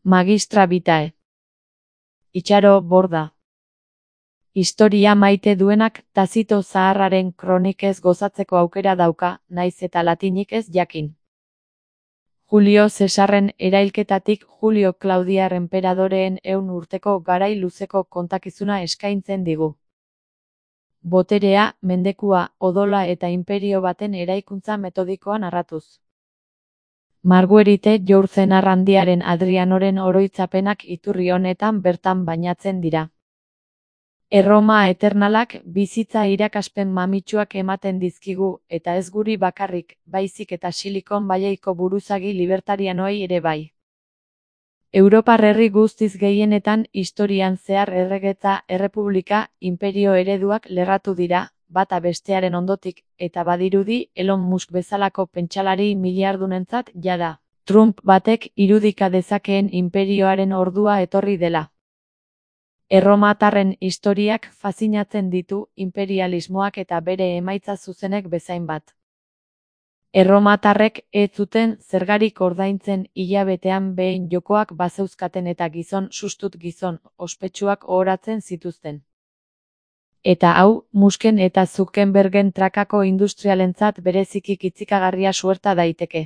Magistra vitae. Itxaro Borda. Historia maite duenak Tazito zaharraren kronikez gozatzeko aukera dauka, naiz eta latinik ez jakin. Julio Cesarren erailketatik Julio Claudiar enperadoreen 100 urteko garai luzeko kontakizuna eskaintzen digu. Boterea, mendekua, odola eta inperio baten eraikuntza metodikoa narratuz. Marguerite Yourcenar handiaren Adrianoren oroitzapenak iturri honetan bertan bainatzen dira. Erroma eternalak bizitza irakaspen mamitsuak ematen dizkigu, eta ez guri bakarrik, baizik eta Silicon Valleyko buruzagi libertarianoei ere bai. Europar herri guztiz gehienetan historian zehar erregetza, errepublika, imperio ereduak lerratu dira, bata bestearen ondotik, eta badirudi Elon Musk bezalako pentsalari miliardunentzat jada. Trump batek irudika dezakeen inperioaren ordua etorri dela. Erromatarren historiak faszinatzen ditu imperialismoak eta bere emaitza zuzenek bezain bat. Erromatarrek ez zuten zergarik ordaintzen hilabetean behin jokoak bazeuzkaten eta gizon sustut gizon ospetsuak ohoratzen zituzten. Eta hau, Musken eta Zuckerbergen trakako industrialentzat bereziki kitzikagarria suerta daiteke.